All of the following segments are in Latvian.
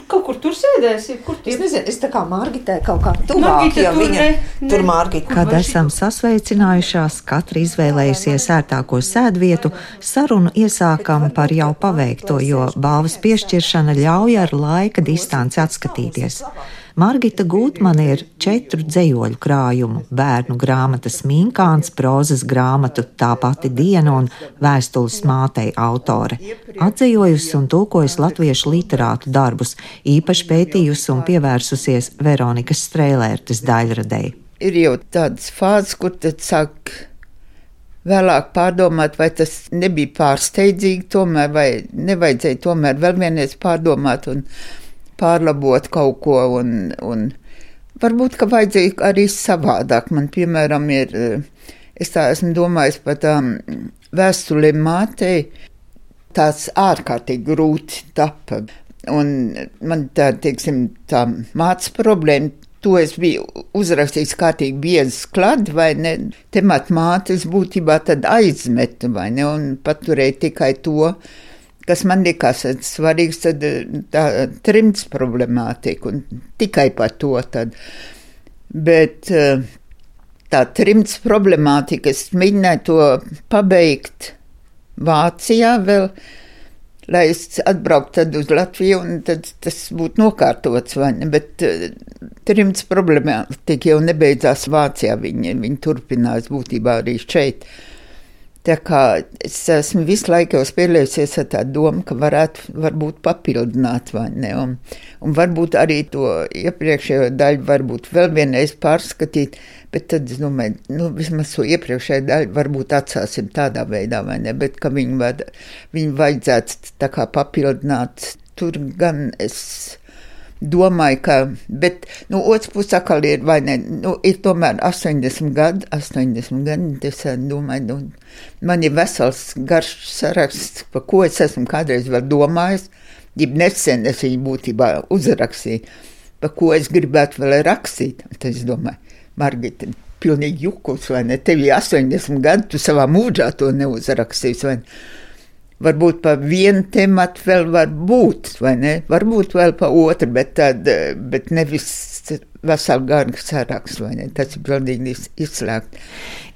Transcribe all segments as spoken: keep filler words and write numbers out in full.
kaut kur tur sēdēsi, kur tur? Es nezinu, es tā kā Margitē kaut kā tuvāk, ja viņa ne, ne. tur Margita. Kad esam sasveicinājušās, katra izvēlējusies ērtāko sēdvietu, sarunu iesākam par jau paveikto, jo balvas piešķiršana ļauj ar laika distanci atskatīties. Margita Gūtmane ir četru dzejoļu krājumu, bērnu grāmatas Minkāns, prozas grāmatu Tā pati diena un vēstules mātei autore. Atdzejojusi un tulkojusi latviešu literātu darbus, īpaši pētījusi un pievērsusies Veronikas Strēlērtes daļradei. Ir jau tādas fāzes, kur tad sāk vēlāk pārdomāt, vai tas nebija pārsteidzīgi tomēr, vai nevajadzēja tomēr vēl vienreiz pārdomāt un pārlabot kaut ko, un, un varbūt, ka vajadzēja arī savādāk. Man, piemēram, ir, es tā esmu domājis par tām vēstulēm mātei, tās ārkārtīgi grūti tapa. Un man tā, teiksim, tā mācas problēma, to es biju uzrakstījis kārtīgi biezas klad, vai ne, temat mātes būtībā tad aizmetu, vai ne, un paturēju tikai to, kas man likās svarīgs, tad tā trimds problemātika, un tikai par to tad. Bet tā trimds problemātika, es mēģināju to pabeigt Vācijā vēl, lai es atbrauktu tad uz Latviju, un tad tas būtu nokārtots, vai ne, bet trimds problemātika jau nebeidzās Vācijā, viņi, viņi turpinās būtībā arī šeit. Tā kā es esmu visu laiku jau spēlējusies ar tādu domu, ka varētu varbūt papildināt, vai ne, un, un varbūt arī to iepriekšējo daļu varbūt vēl vienreiz pārskatīt, bet tad es domāju, nu, vismaz to iepriekšējo daļu varbūt atsāsim tādā veidā, vai ne, bet ka viņu, var, viņu vajadzētu tā kā papildināt, tur gan es domāju, ka, bet, nu, otrs puses atkal ir, vai ne, nu, ir tomēr astoņdesmit gadi, astoņdesmit gadi, es domāju, nu, man ir vesels garš saraksts, par ko es esmu kādreiz vēl domājis, ja nesen es viņu būtībā uzrakstīju, par ko es gribētu vēl rakstīt, tad es domāju, Margita, pilnīgi jukus, vai ne, tev ir astoņdesmit gadi, tu savā mūžā to neuzrakstīs, vai ne. Varbūt pa vienu tematu vēl var būt, vai ne? Varbūt vēl pa otru, bet, tad, bet nevis veselu garu sarakstu, vai ne? Tas ir pilnīgi izslēgt.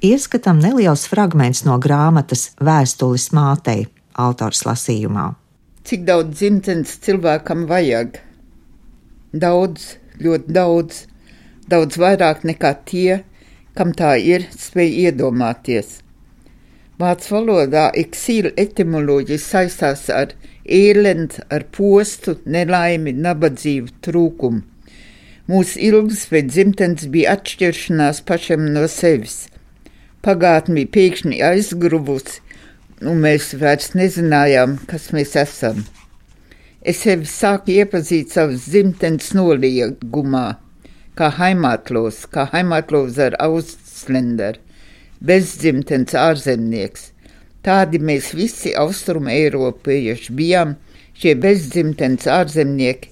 Ieskatam neliels fragments no grāmatas Vēstules mātei, autors lasījumā. Cik daudz dzimtenes cilvēkam vajag? Daudz, ļoti daudz, daudz vairāk nekā tie, kam tā ir, spēj iedomāties. Vācu valodā eksīla etimoloģija saistās ar ēlend, ar postu, nelaimi, nabadzību, trūkumu. Mūsu ilgas pēc dzimtenes bija atšķiršanās pašam no sevis. Pagātne bija pēkšņi aizgruvusi, un mēs vairs nezinājām, kas mēs esam. Es sevi sāku iepazīt savas dzimtenes noliegumā, kā Heimatlos, kā Heimatlos ar Ausländer. Bezdzimtenes ārzemnieks. Tādi mēs visi austrumu eiropieši bijām, šie bezdzimtenes ārzemnieki,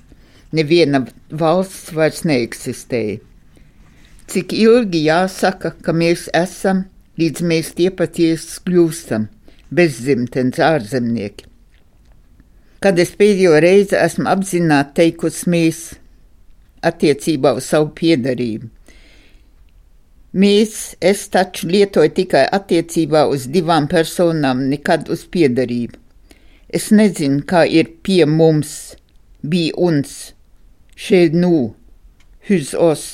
neviena valsts vairs neeksistēja. Cik ilgi jāsaka, ka mēs esam, līdz mēs tie patiesi kļūstam, bezdzimtenes ārzemnieki. Kad es pēdējo reizi esmu apzināti teikusi mēs attiecībā uz savu piederību. Mēs, es taču lietoju tikai attiecībā uz divām personām, nekad uz piederību. Es nezinu, kā ir pie mums, bija uns, šeit nu, huz os.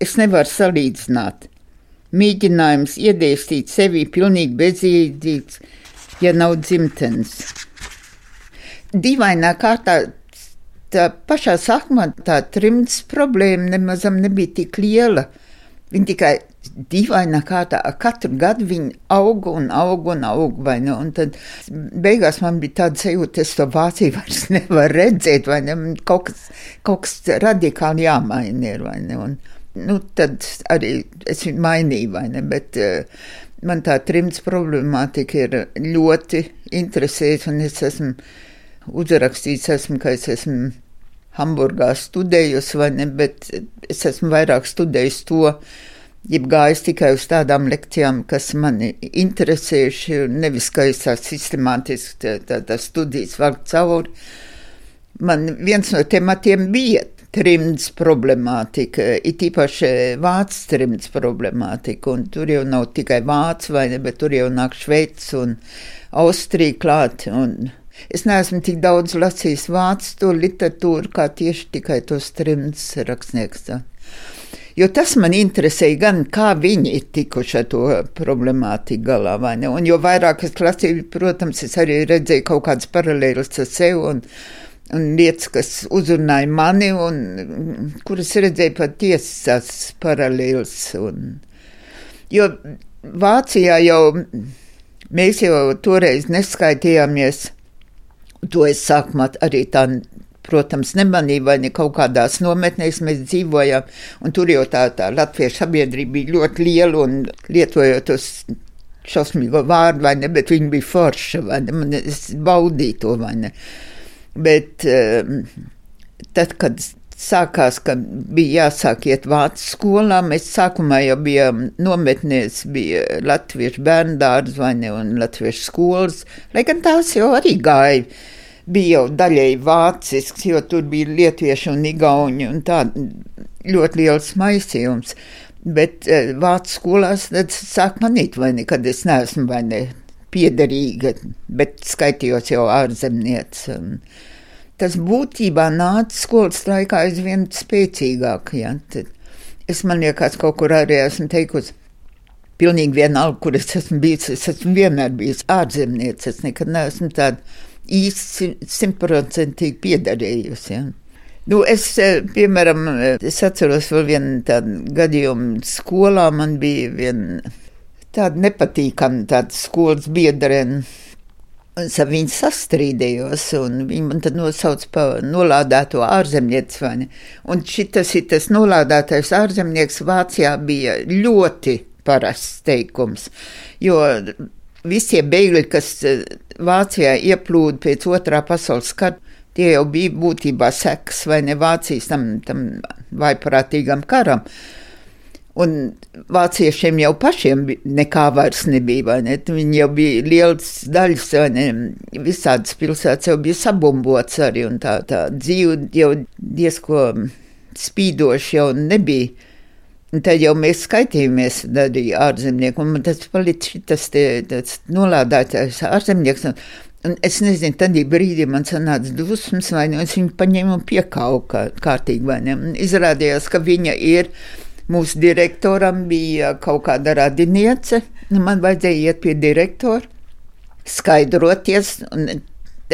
Es nevaru salīdzināt. Mēģinājums iedēstīt sevi pilnīgi bezjēdzīgs, ja nav dzimtenes. Dīvainā kārtā, tā pašā sākumā tā trimds problēma nemazam nebija tik liela. Viņi tikai dīvainā kārtā, katru gadu viņi auga un auga un auga, vai ne, un tad beigās man bija tāda sajūta, es to Vāciju vairs nevaru redzēt, vai ne, kaut kas, kaut kas radikāli jāmaina ir, vai ne, un, nu, tad arī es viņu mainīju, vai ne, bet uh, man tā trimds problemātika ir ļoti interesējusi, un es esmu uzrakstījis, esmu, ka es esmu Hamburgā studējusi, vai ne, bet es esmu vairāk studējusi to, jeb gājis tikai uz tādām lekcijām, kas mani interesējuši, nevis, ka es tā sistemātiski tā, tā, tā studijas valk cauri. man viens no tematiem bija trimds problemātika, it īpaši vācu trimds problemātika, un tur jau nav tikai vācu, vai ne, bet tur jau nāk Šveicis un Austrija klāt, un es neesmu tik daudz lasījis vācu to literatūru, kā tieši tikai tos trimds rakstnieks. Jo tas man interesēja gan, kā viņi ir tikuši ar to problemātiku galā, vai ne, un jo vairāk es lasīju, protams, es arī redzēju kaut kādas paralēlas ar sevi, un un lietas, kas uzrunāja mani, un kuras redzēju patiesas paralēlas. Un, jo Vācijā jau, mēs jau toreiz neskaitījāmies, to es sākumā arī tā, protams, nemanīju, vai ne kaut kādās nometnēs mēs dzīvojām, un tur jau tā, tā latviešu sabiedrība bija ļoti liela, un lietojot tos šausmīgo vārdu, vai ne, bet viņi bija forša, vai ne, man es baudīju to, vai ne. Bet tad, kad sākās, ka bija jāsāk iet vācu skolā, mēs sākumā jau bijām nometnēs, bija latviešu bērndārs vai ne, un latviešu skolas, lai gan tās jau arī gāja, bija jau daļēji vācisks, jo tur bija lietuvieši un igauņi, un tā ļoti liels maisījums. Bet vācu skolās tad sāk manīt, vai ne, kad es neesmu, vai ne, piederīga, bet skaitījos jau ārzemniec. Tas būtībā nāca skolas laikā aizvien spēcīgāk. Ja? Tad es man liekas kaut kur arī esmu teikusi, pilnīgi vienalga, kur es esmu bijis, es esmu vienmēr bijis ārzemniec, es nekad neesmu tāda īsti simtprocentīgi piederējusi. Ja? Nu, es, piemēram, es atceros vēl vienu tādu gadījumu skolā, man bija viena tāda nepatīkama tāda skolas biedrene, un es ar viņu sastrīdējos, un viņi man tad nosauc pa nolādēto ārzemnieci, vai ne? Un šitas ir tas nolādētais ārzemnieks Vācijā bija ļoti parasts teikums, jo visie bēgļi, kas Vācijā ieplūda pēc otrā pasaules kara, tie jau bija būtībā sekas, vai ne, Vācijas tam, tam vaiprātīgam karam. Un vāciešiem jau pašiem nekā vairs nebija, vai ne? Viņi jau bija lielas daļas, vai ne? Visādas pilsētas jau bija sabumbots arī, un tā, tā dzīve jau diezko spīdoši jau nebija. Un tad jau mēs skaitījāmies arī ārzemnieku, un man tas palicis šitas te, tas nolādātais ārzemnieks, un, un es nezinu, tad brīdī man sanāca dusmas, vai ne? Es viņu paņēmu un piekāvu kā, kārtīgi, vai ne? Un izrādījās, ka viņa ir. Mūsu direktoram bija kaut kāda radiniece, un man vajadzēja iet pie direktora, skaidroties, un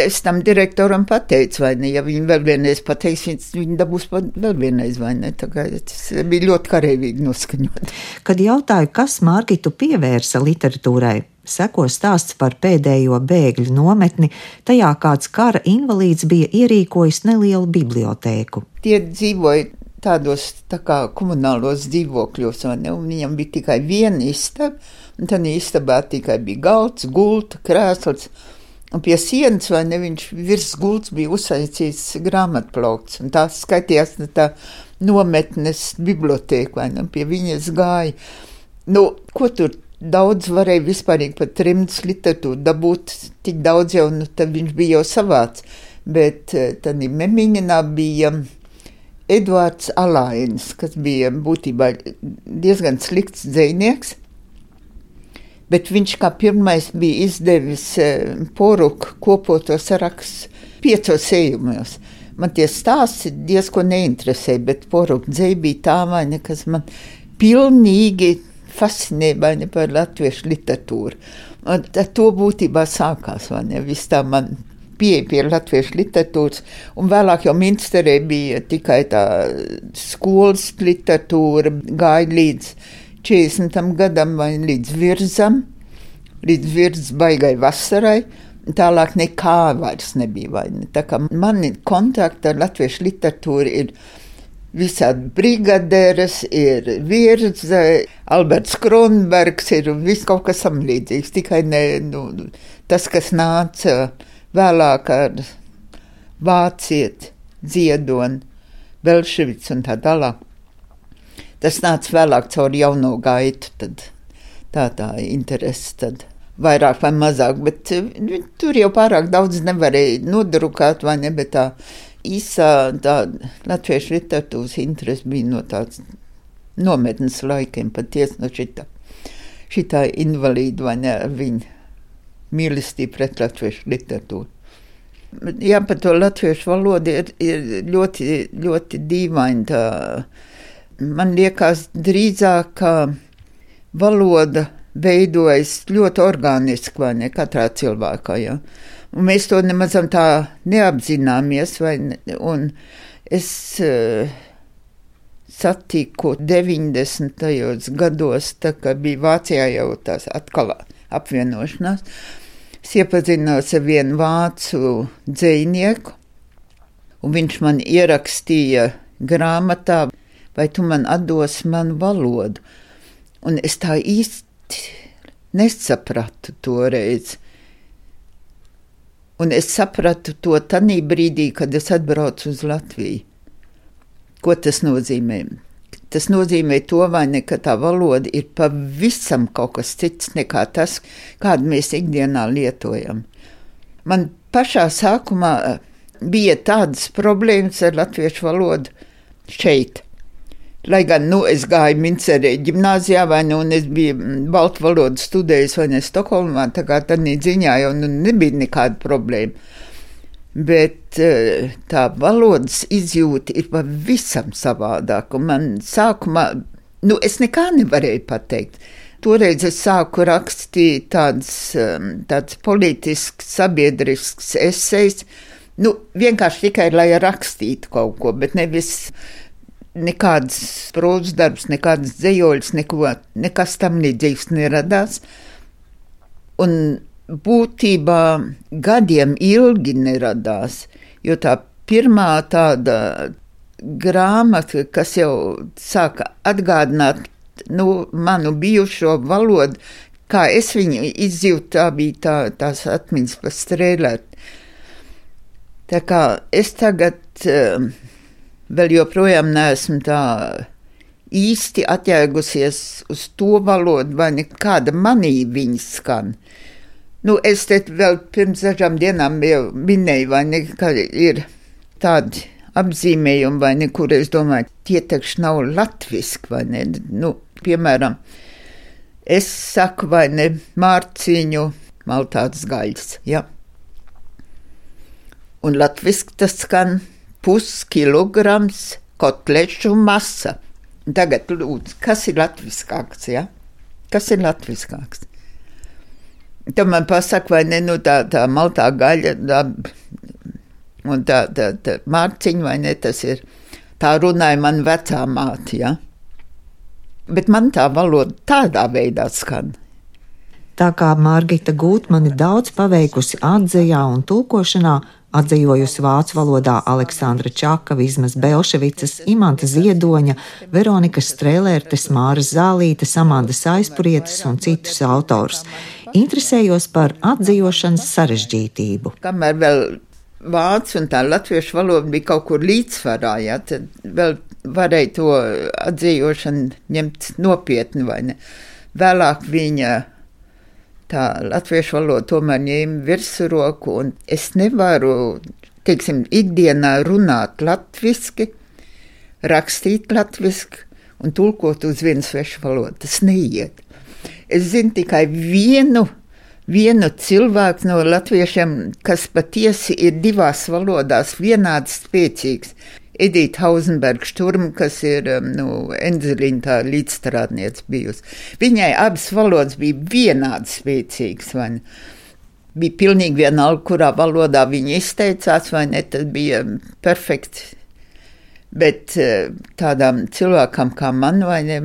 es tam direktoram pateicu, vai ne, ja viņi vēl vienreiz pateiks, viņi dabūs vēl vienreiz, vai ne, tā kā tas bija ļoti kareivīgi noskaņot. Kad jautāju, kas Margitu pievērsa literatūrai, seko stāsts par pēdējo bēgļu nometni, tajā kāds kara invalīds bija ierīkojis nelielu bibliotēku. Tie dzīvoja tādos tā kā komunālos dzīvokļos, vai ne, un viņam bija tikai viena istaba, un tad istabā tikai bija galds, gulta, krēsls, un pie sienas, vai ne, viņš virs gults bija uzsaicīts grāmatplaukts, un tā skaitījās tā nometnes bibliotēka, vai ne, pie viņas gāja. Nu, ko tur daudz varēja vispārīgi par trimdas literatūru dabūt, tik daudz jau, nu, tad viņš bija jau savāds, bet tad Memiņinā bija Eduards Alainis, kas bija būtībā diezgan slikts dzejnieks, bet viņš kā pirmais bija izdevis Poruku kopoto saraksts piecos ejumos. Man tie stāsti diezko neinteresēja, bet Poruku dzeja bija tā, vai ne, kas man pilnīgi fascinēja, vai ne, par latviešu literatūru. Un to būtībā sākās, vai ne, viss tā man pieeja pie latviešu literatūras, un vēlāk jau Minsterē bija tikai tā skolas literatūra, gāja līdz četrdesmitam gadam vai līdz virzam, līdz virs baigai vasarai, tālāk nekā vairs nebija, vai ne. Tā kā mani kontakti ar latviešu literatūru ir visādi brigaderes, ir Virze, Alberts Kronbergs, ir viss kaut kas samlīdzīgs, tikai ne, nu, tas, kas nāca vēlāk ar Vācieti, Ziedoni, Belševics un tā tālāk. Tas nāca vēlāk caur jauno gaitu, tad tā tā interesi, tad vairāk vai mazāk, bet tur jau pārāk daudz nevarēja nodrukāt, vai ne, bet tā īsā tāda latviešu literatūras interese bija no tāds nometnes laikiem, patiesi no šitā, šitā invalīda, vai ne, ar viņu mīlestību pret latviešu literatūru. Jā, par to latviešu valodu ir, ir ļoti, ļoti dīvaini tā. Man liekas drīzāk, ka valoda veidojas ļoti organiski, vai ne, katrā cilvēkā, jā. Un mēs to nemazam tā neapzināmies, vai ne, un es uh, satiku deviņdesmitajos gados, tā kā bija Vācijā jau tās atkal apvienošanās, es iepazinos ar vienu vācu dzejnieku, un viņš man ierakstīja grāmatā, vai tu man atdosi manu valodu. Un es tā īsti nesapratu toreiz. Un es sapratu to tanī brīdī, kad es atbraucu uz Latviju. Ko tas nozīmē? Tas nozīmē to, vai ne, ka tā valoda ir pavisam kaut kas cits nekā tas, kādu mēs ikdienā lietojam. Man pašā sākumā bija tādas problēmas ar latviešu valodu šeit. Lai gan, nu, es gāju Mincerē ģimnāzijā, vai ne, un es biju baltu valodu studējis, vai ne, Stokholmā, tā kā tādā ziņā jau nu, nebija nekāda problēma. Bet tā valodas izjūta ir pavisam savādāk, un man sākumā, nu, es nekā nevarēju pateikt. Toreiz es sāku rakstīt tāds, tāds politisks, sabiedrisks esejs, nu, vienkārši tikai, lai rakstītu kaut ko, bet nevis nekāds prózas darbs, nekādas dzejoļas, neko, nekas tam līdzīgs neradās. Un būtībā gadiem ilgi neradās, jo tā pirmā tāda grāmata, kas jau sāka atgādināt, nu, manu bijušo valodu, kā es viņu izjūtu, tā bija tā, tās atmiņas par strēlēt. Tā kā es tagad uh, vēl joprojām neesmu tā īsti atjēgusies uz to valodu, vai nekāda manī viņa skan. Nu, es te vēl pirms dažām dienām jau minēju, vai ne, ka ir tādi apzīmējumi, vai ne, kur es domāju, tie taču nav latviski, vai ne. Nu, piemēram, es saku, vai ne, mārciņu maltāts gaļas, ja. Un latviski tas skan puskilograms kotlešu masa. Tagad lūdzu, kas ir latviskāks, ja? Kas ir latviskāks? Tad man pasaka, vai ne, nu tā, tā maltā gaļa, tā, un tā, tā, tā mārciņa, vai ne, tas ir, tā runāja man vecā māte, ja? Bet man tā valoda tādā veidā skan. Tā kā Margita Gūtmane daudz paveikusi atzejā un tulkošanā, atzejojusi vācu valodā Aleksandra Čaka, Vizmas Belševicas, Imanta Ziedoņa, Veronikas Strēlērtes, Māras Zālītes, Amandas Aizpurietes un citus autorus. Interesējos par atzījošanas sarežģītību. Kamēr vēl vācu un tā latviešu valoda bija kaut kur līdzsvarā, ja, tad vēl varēja to atzījošanu ņemt nopietni, vai ne. Vēlāk viņa tā latviešu valoda tomēr ņēma virsroku, un es nevaru, teiksim, ikdienā runāt latviski, rakstīt latviski un tulkot uz vienu svešu valodu. Tas neiet. Es zinu tikai vienu, vienu cilvēku no latviešiem, kas patiesi ir divās valodās vienādi spēcīgs. Edita Hausenberga Šturma, kas ir nu, Endzeliņa tā līdzstrādniece bijusi. Viņai abas valodas bija vienādi spēcīgas, vai ne? Bija pilnīgi vienalga, kurā valodā viņa izteicās, vai ne, tad bija perfekti. Bet tādām cilvēkam kā man, vai ne,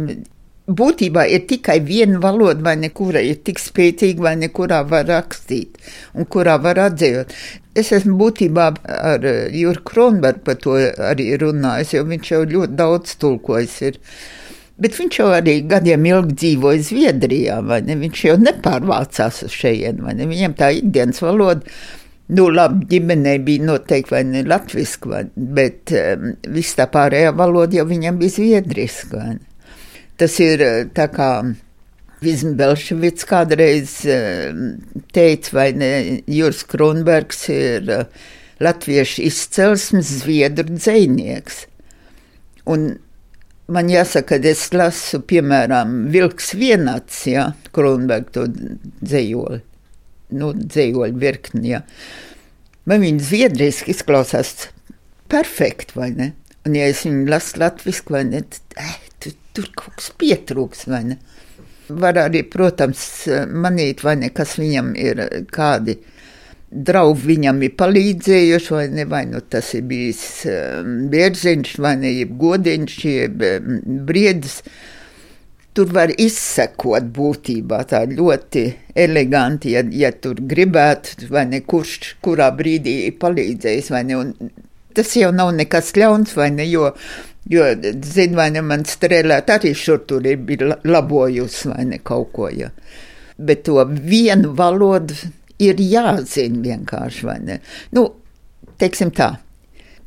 būtībā ir tikai viena valoda, vai ne, kura ir tik spēcīga, vai ne, kurā var rakstīt un kurā var atzējot. Es esmu būtībā ar Juru Kronbergu par to arī runājis, jo viņš jau ļoti daudz tulkojis ir. Bet viņš jau arī gadiem ilgi dzīvoja Zviedrijā, vai ne? Viņš jau nepārvācās uz šejienu, vai ne? Viņam tā ikdienas valoda, nu labi, ģimenei bija noteikti, vai ne, latviski, vai, bet um, viss tā pārējā valoda jau viņam bija zviedriski, vai ne? Tas ir tā kā Vizma Belševicas kādreiz teica, vai ne, Juris Kronbergs ir latviešu izcelsmes zviedru dzejnieks. Un man jāsaka, kad es lasu, piemēram, Vilks vienats, jā, Kronberga to dzejoli, nu, dzejoli virkni, jā. Man viņa zviedriski izklausās perfekti, vai ne? Un ja es viņu lasu latviski, vai ne, tad, eh, tur, tur kaut kas pietrūks, vai ne? Var arī, protams, manīt, vai ne, kas viņam ir, kādi draugi viņam ir palīdzējuši, vai ne, vai nu tas ir bijis Bierziņš, vai ne, jeb Godiņš, jeb Briedis. Tur var izsekot būtībā tā ļoti eleganti, ja, ja tur gribētu, vai ne, kurš, kurā brīdī ir palīdzējis, vai ne, un tas jau nav nekas ļauns, vai ne, jo, jo zin, vai ne, man strēlēt arī šur tur ir bija labojusi, vai ne, kaut ko, ja. Bet to vienu valodu ir jāzina vienkārši, vai ne? Nu, teiksim tā,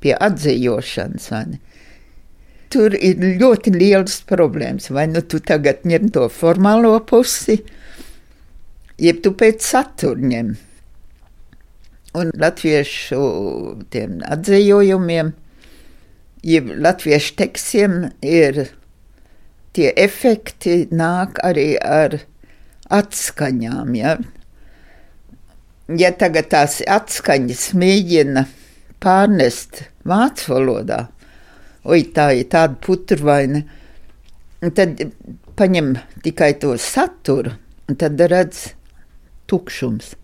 pie atzījošanas, vai ne? Tur ir ļoti lielas problēmas, vai nu tu tagad ņem to formālo pusi, jeb tu pēc satura ņem. Un latviešu tiem atzījojumiem, jeb latviešu tekstiem ir tie efekti nāk arī ar atskaņām, ja? Ja tagad tās atskaņas mēģina pārnest vācu valodā, oi, tā ir tāda puturvaina, tad paņem tikai to saturu, un tad redz tukšums.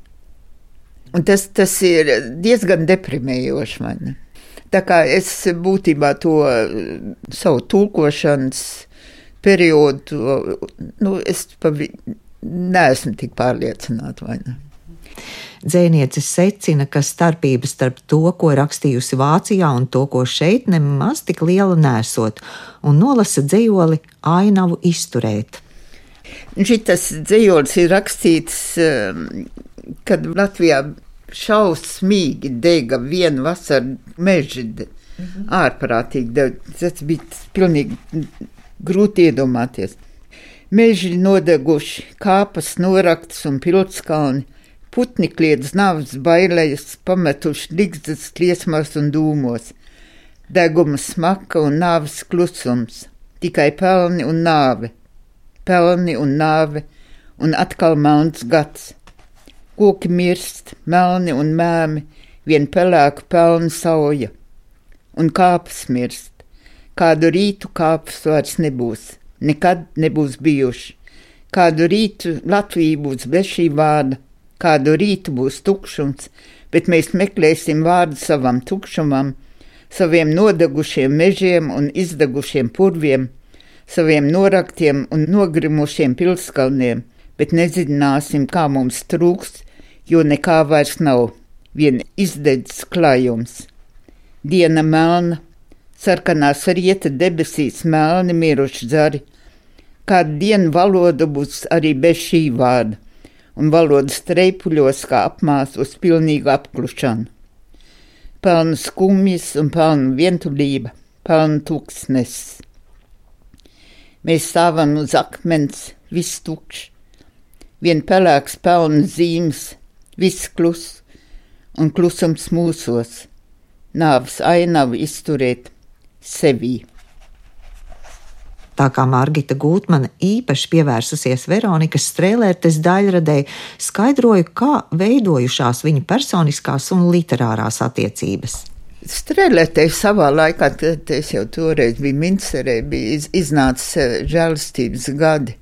Un tas, tas ir diezgan deprimējoši, vai ne? Tā kā es būtībā to savu tulkošanas periodu, nu, es pavi, neesmu tik pārliecināta, vai ne? Dzejniece secina, ka starpības starp to, ko rakstījusi Vācijā un to, ko šeit, nemaz tik liela nesot, un nolasa dzejoli Ainavu izturēt. Šitas dzejolis ir rakstīts, kad Latvijā šausmīgi dega vienu vasaru meži, mhm. ārprātīgi, tas bija pilnīgi grūti iedomāties. Meži nodeguši, kāpas noraktas un pilskalni, putni kliedz navas bailējas, pametuši ligzdas liesmās un dūmos, deguma smaka un nāves klusums, tikai pelni un nāve, pelni un nāve, un atkal melns gads. Koki mirst, melni un mēmi, vien pelēku pelnu sauja, un kāpas mirst. Kādu rītu kāpas vairs nebūs, nekad nebūs bijuši. Kādu rītu Latvija būs bez šī vārda, kādu rītu būs tukšums, bet mēs meklēsim vārdu savam tukšumam, saviem nodegušiem mežiem un izdegušiem purviem, saviem noraktiem un nogrimušiem pilskalniem, bet nezināsim, kā mums trūkst, jo nekā vairs nav, vien izdedzis klājums. Diena melna, sarkanās rieta debesīs melni miruši zari, kādu dienu valoda būs arī bez šī vārda, un valodas treipuļos kā apmās uz pilnīgu apklušanu. Pelnu skumjas un pelnu vientulība, pelnu tūkstnes. Mēs stāvam uz akmens, viss tukšs, vien pelēks pelnu zīmes, viss klus un klusums mūsos, nāves ainavu izturēt sevī. Tā kā Margita Gūtmane īpaši pievērsusies Veronikas Strēlērtes daļradei, skaidroja, kā veidojušās viņa personiskās un literārās attiecības. Strēlērtei savā laikā, tad es jau toreiz biju Mincerē, bija iznācis žēlastības gadi,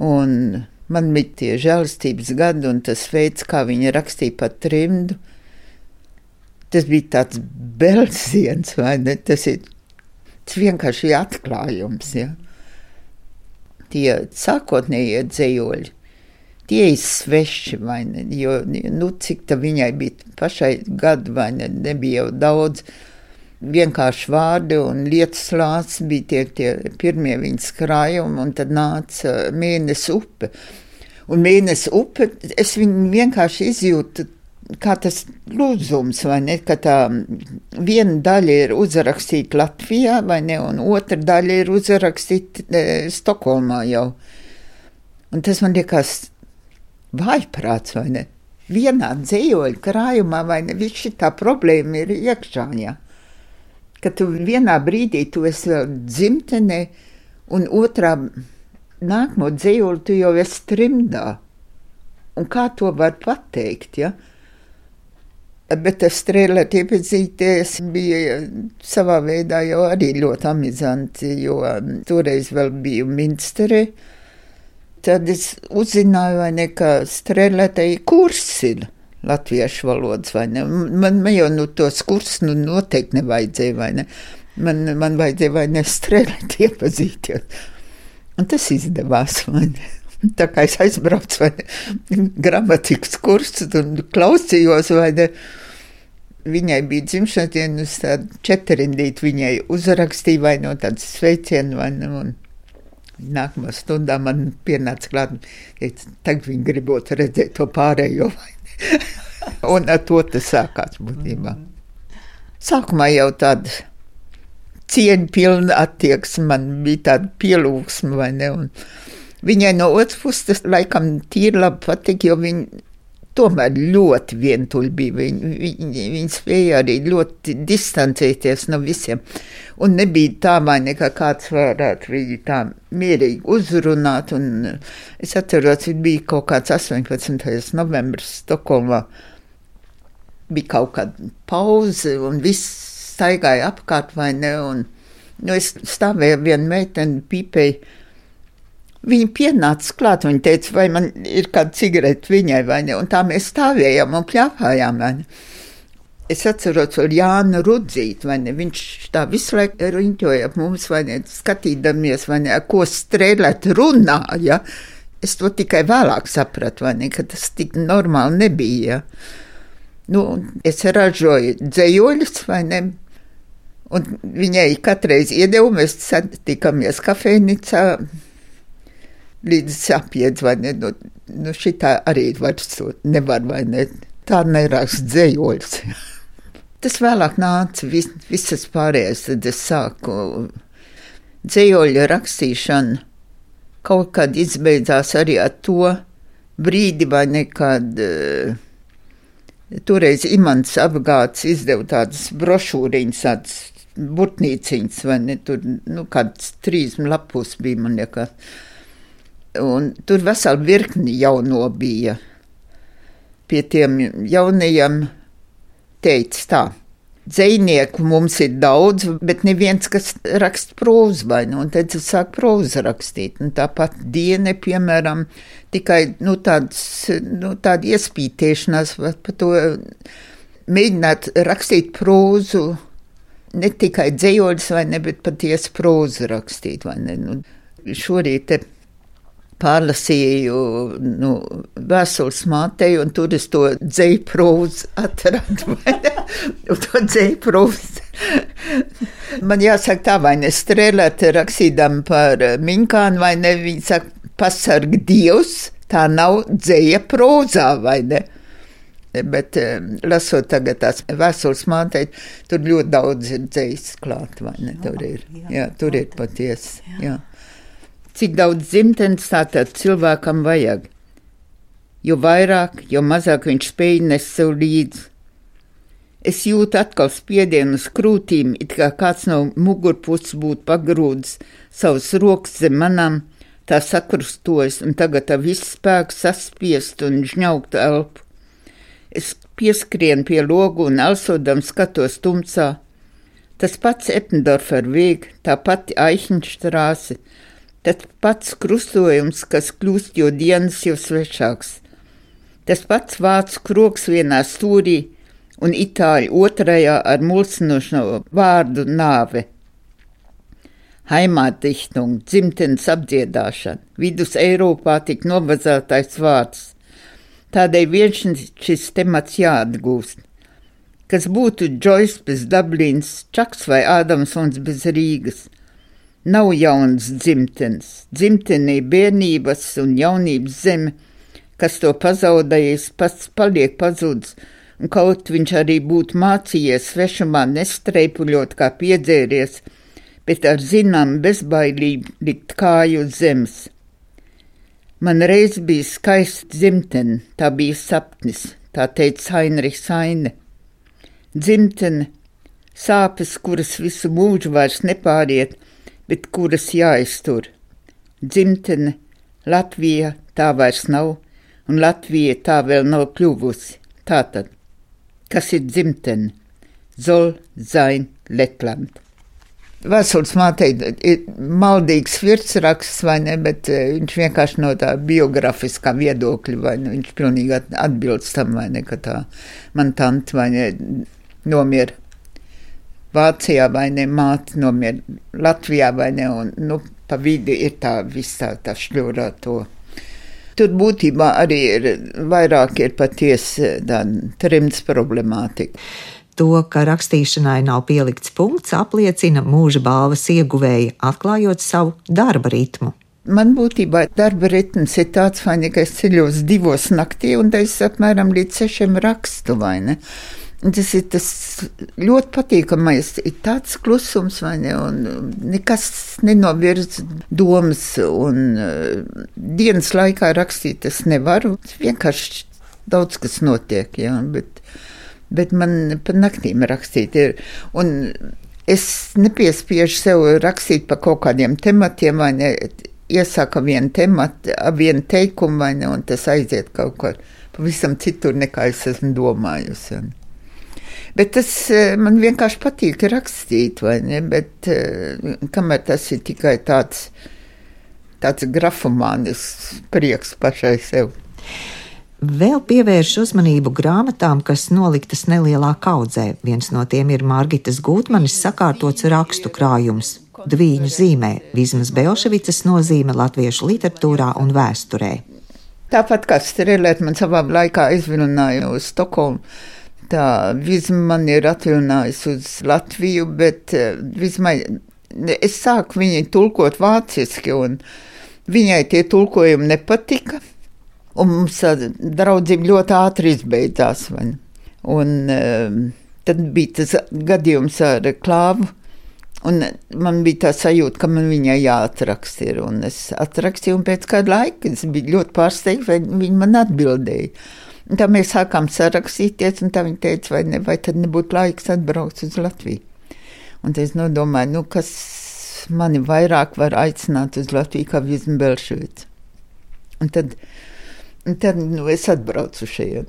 un man bija tie žēlastības gadi, un tas veids, kā viņa rakstīja par trimdu, tas bija tāds belziens, vai ne, tas ir Tas vienkārši atklājums, ja. Tie sākotnējie dzejoļi, tie ir sveši, vai ne, jo, nu, cik ta viņai bija pašai gadu, vai ne, nebija jau daudz, vienkārši vārdi un lietas lācis bija tie, tie pirmie viņas krājumi, un tad nāca Mēnes upe. Un Mēnes upe, es viņu vienkārši izjūtu, kā tas lūzums, vai ne, ka tā viena daļa ir uzrakstīta Latvijā, vai ne, un otra daļa ir uzrakstīta e, Stokholmā jau. Un tas man liekas vājprāts, vai ne? vienā dzējoļu krājumā, vai ne, viss šitā problēma ir iekšā, ja? Ka tu vienā brīdī tu esi vēl dzimtenē, un otrā nākamo dzējoli tu jau esi trimdā. Un kā to var pateikt, ja? Bet ar Strēleti iepazīties bija savā veidā jau arī ļoti amizanti, jo toreiz vēl biju Minsterē. Tad es uzzināju, vai ne, ka Strēletei kurs ir latviešu valodas, vai ne. Man, man jau nu tos kursus nu noteikti nevajadzēja, vai ne. Man, man vajadzēja, vai ne, Strēleti iepazīt. Un tas izdevās, vai ne. Tā kā es aizbraucu, vai ne, gramatikas kursus un klausījos, vai ne. Viņai bija dzimšanas diena, uz tādu četrindīti viņai uzrakstīja, vai no tādas sveicienu, vai ne, un nākamā stundā man pienāca klāt, teica, tagad viņi gribot redzēt to pārējo, vai ne. Un ar to tas sākās būtībā. Sākumā jau tāda cieņpilna attieksme, man bija tāda pielūgsme, vai ne, un viņai no otras puses tas laikam tīri labi patika, jo viņa tomēr ļoti vientuļi bija. Viņa, viņa, viņa spēja arī ļoti distancēties no visiem. Un nebija tā, vai ne, kā kāds varētu viņu tā mierīgi uzrunāt. Un es atceros, viņa bija kaut kāds astoņpadsmitais novembris Stokholmā. Bija kaut kāda pauze un viss staigāja apkārt, vai ne. Un, nu, es stāvēju vienu meiteni, pīpēju. Viņa pienāca klāt, viņa teica, vai man ir kāda cigareta viņai, vai ne, un tā mēs stāvējām un pļāpājām, vai ne. Es atceros vēl Jānu Rudzīti, vai ne, viņš tā visu laiku riņķoja ap mums, vai ne, skatīdamies, vai ne, ko Strēleti runāja, ja? Es to tikai vēlāk sapratu, vai ne, ka tas tik normāli nebija, ja? Nu, es ražoju dzējoļus, vai ne, un viņai katreiz iedevu, mēs satikamies kafejnicā, līdz sapiedz, vai ne, nu, nu šitā arī vairs nevar, vai ne, tā nerakst dzējoļus. Tas vēlāk nāca vis, visas pārējais, tad es sāku dzējoļu rakstīšanu, kaut kad izbeidzās arī ar to brīdi, vai ne, kad uh, toreiz Imants Apgāds izdeva tādas brošūriņas, tādas burtnīciņas, vai ne, tur, nu, kāds trīs lapus bija, man liekas. Un tur vesela virkni jauno bija. Pie tiem jaunajiem teica tā, dzejnieku mums ir daudz, bet neviens, kas raksta prózu, vai ne, un tad es sāku prózu rakstīt. Un tāpat Diene, piemēram, tikai, nu, tāds, nu, tāda iespītēšanās par to mēģināt rakstīt prózu, ne tikai dzējoļus, vai ne, bet patiesi prózu rakstīt, vai ne. Nu, šorīt te pārlasīju, nu, vēstules mātei, un tur es to dzēju prózu atradu, vai ne? Un to dzēju prózu. Man jāsaka tā, vai ne, Strēleti rakstīdam par Miņkānu, vai ne, viņi saka, pasarg Dievs, tā nav dzēja prózā, vai ne? Bet lasot tagad tās vēstules mātei, tur ļoti daudz ir dzējas klāt, vai ne, tur ir, jā, tur ir patiesi, jā. Cik daudz dzimtenes tātad cilvēkam vajag. Jo vairāk, jo mazāk viņš spēj nest sev līdzi. Es jūtu atkal spiedienu uz krūtīm, it kā kāds no mugurpuses būtu pagrūdis savas rokas zem manām, tā sakrustojas un tagad ar visu spēku saspiest un žņaukt elpu. Es pieskrienu pie logu un elsodam skatos tumsā. Tas pats Eppendorfer Weg, tā pati Aichņštrāse, tas pats krustojums, kas kļūst jo dienas jau svešāks. Tas pats vācu kroks vienā stūrī un itāļu otrajā ar mulsinošo vārdu nāve. Heimatdichtung, dzimtenes apdziedāšana, vidus Eiropā tik novazātais vārds. Tādēļ viens šis temats jāatgūst. Kas būtu Džojs bez Dublīnas, Čaks vai Ādamsons bez Rīgas. Nav jaunas dzimtenes, dzimtenī bērnības un jaunības zeme, kas to pazaudējis, pats paliek pazudis, un kaut viņš arī būtu mācījies svešumā nestreipuļot kā piedzēries, bet ar zinām bezbailību likt kāju uz zemes. Man reiz bija skaista dzimtene, tā bija sapnis, tā teica Heinrichs Heine. Dzimtene, sāpes, kuras visu mūžu vairs nepāriet, bet kuras jāiztur. Dzimtene, Latvija tā vairs nav, un Latvija tā vēl nav kļuvusi. Tātad, kas ir dzimtene? Soll sein Lettland. Vēstules mātei ir maldīgs virsraksts, vai ne, bet viņš vienkārši no tā biografiskā viedokļa, vai ne, viņš pilnīgi atbilst tam, vai ne, ka tā man tante, vai ne, nomier Vācijā, vai ne, māte nomier Latvijā, vai ne, un, nu, pa vidi ir tā visā tā šļurā to. Tur būtībā arī ir vairāk ir patiesi tā trimds problemātika. To, ka rakstīšanai nav pielikts punkts, apliecina mūža balvas ieguvēja, atklājot savu darba ritmu. Man būtībā darba ritms ir tāds, vai ne, ka es ceļos divos naktī, un es apmēram līdz sešiem rakstu, vai ne. Tas ir tas ļoti patīkamais, ir tāds klusums, vai ne, un nekas nenovirz domas, un uh, dienas laikā rakstīt es nevaru, vienkārši daudz kas notiek, jā, bet bet man pa naktīm rakstīt ir, un es nepiespiežu sev rakstīt pa kaut kādiem tematiem, vai ne, iesāka vienu tematu, vienu teikumu, vai ne, un tas aiziet kaut ko pavisam citur, nekā es esmu domājusi. Bet tas man vienkārši patīk rakstīt, vai ne, bet kamēr tas ir tikai tāds, tāds grafomānis prieks pašai sev. Vēl pievērš uzmanību grāmatām, kas noliktas nelielā kaudzē. Viens no tiem ir Margitas Gutmanis sakārtots rakstu krājums. Dvīņu zīmē, Vizmas Belševicas nozīme latviešu literatūrā un vēsturē. Tāpat kā Strelēt man savā laikā izvilināja uz Stokholmu, tā Vizma man ir atvilinājusi uz Latviju, bet Vizmai, es sāku viņai tulkot vāciski, un viņai tie tulkojumi nepatika. Un mums draudzība ļoti ātri izbeidzās. Vai? Un um, tad bija tas gadījums ar Klāvu, un man bija tā sajūta, ka man viņai jāatraksta ir. Un es atrakstīju, un pēc kāda laika es biju ļoti pārsteigta, vai viņa man atbildēja. Un tā mēs sākām sarakstīties, un tā viņa teica, vai, ne, vai tad nebūtu laiks atbraukt uz Latviju. Un tad es nodomāju, nu, kas mani vairāk var aicināt uz Latviju kā Vizma Belševica. Un tad Un tad nu, es atbraucu šeit.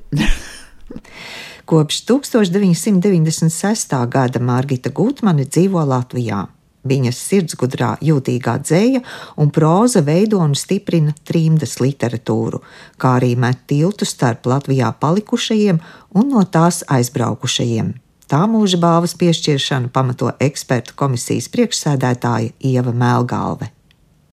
Kopš tūkstoš deviņsimt deviņdesmit sestā gada Margita Gutmane dzīvo Latvijā. Viņas sirdsgudrā jūtīgā dzēja un próza veido un stiprina trimdas literatūru, kā arī met tiltu starp Latvijā palikušajiem un no tās aizbraukušajiem. Tā mūža balvas piešķiršanu pamato ekspertu komisijas priekšsēdētāja Ieva Melgalve.